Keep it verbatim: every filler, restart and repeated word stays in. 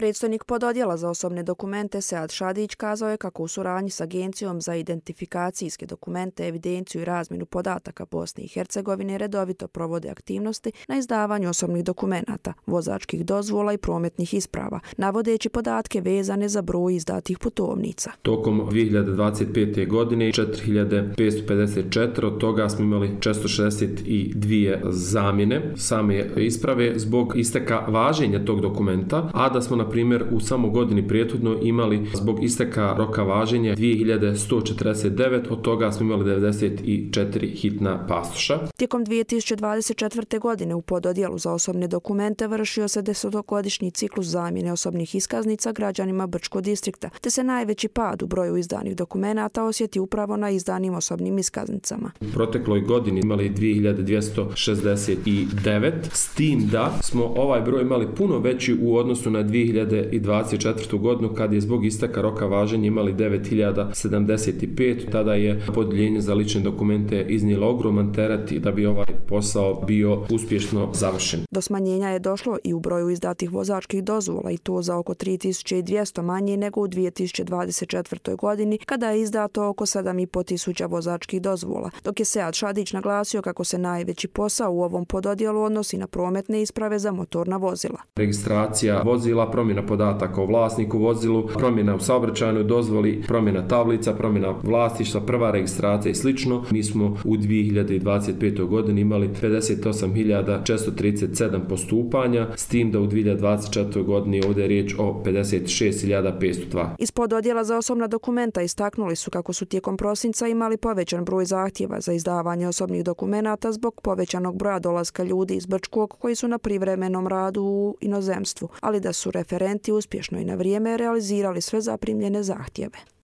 Predstojnik pododjela za osobne dokumente Sead Šadić kazao je kako u suradnji s Agencijom za identifikacijske dokumente, evidenciju i razmjenu podataka Bosne i Hercegovine redovito provode aktivnosti na izdavanju osobnih dokumenata, vozačkih dozvola i prometnih isprava, navodeći podatke vezane za broj izdatih putovnica. Tokom dvije hiljade dvadeset pete. godine četiri hiljade petsto pedeset četiri, od toga smo imali četiristo šezdeset dvije zamjene same isprave zbog isteka važenja tog dokumenta, a da smo na primjer u samo godini prethodno imali zbog isteka roka važenja dvije hiljade sto četrdeset devet, od toga smo imali devedeset četiri hitna pasoša. Tijekom dvije tisuće dvadeset četvrte. godine u pododjelu za osobne dokumente vršio se desetogodišnji ciklus zamjene osobnih iskaznica građanima Brčkog distrikta, te se najveći pad u broju izdanih dokumenata osjeti upravo na izdanim osobnim iskaznicama. U protekloj godini imali dvije hiljade dvjesto šezdeset devet, s tim da smo ovaj broj imali puno veći u odnosu na dvije hiljade dvadeset četvrtu. godinu kad je zbog isteka roka važenja imali devet hiljada sedamdeset pet. Tada je Podeljenje za lične dokumente iznijelo ogroman teret da bi ovaj posao bio uspješno završen. Do smanjenja je došlo i u broju izdatih vozačkih dozvola i to za oko tri tisuće dvjesto manje nego u dvije tisuće dvadeset četvrtoj. godini kada je izdato oko sedam i po tisuća vozačkih dozvola, dok je Sead Šadić naglasio kako se najveći posao u ovom pododjelu odnosi na prometne isprave za motorna vozila. Registracija vozila, promjena podataka o vlasniku vozilu, promjena u saobraćajnoj dozvoli, promjena tablica, promjena vlasništva, prva registracija i slično. Mi smo u dvije hiljade dvadeset petoj. godini imali pedeset osam hiljada četiristo trideset sedam postupanja, s tim da u dvije hiljade dvadeset četvrtoj. godini ovdje je riječ o pedeset šest hiljada petsto dva. Iz pododjela za osobna dokumenta istaknuli su kako su tijekom prosinca imali povećan broj zahtjeva za izdavanje osobnih dokumenata zbog povećanog broja dolaska ljudi iz Brčkog koji su na privremenom radu u inozemstvu, ali da su referenti uspješno i na vrijeme realizirali sve zaprimljene zahtjeve.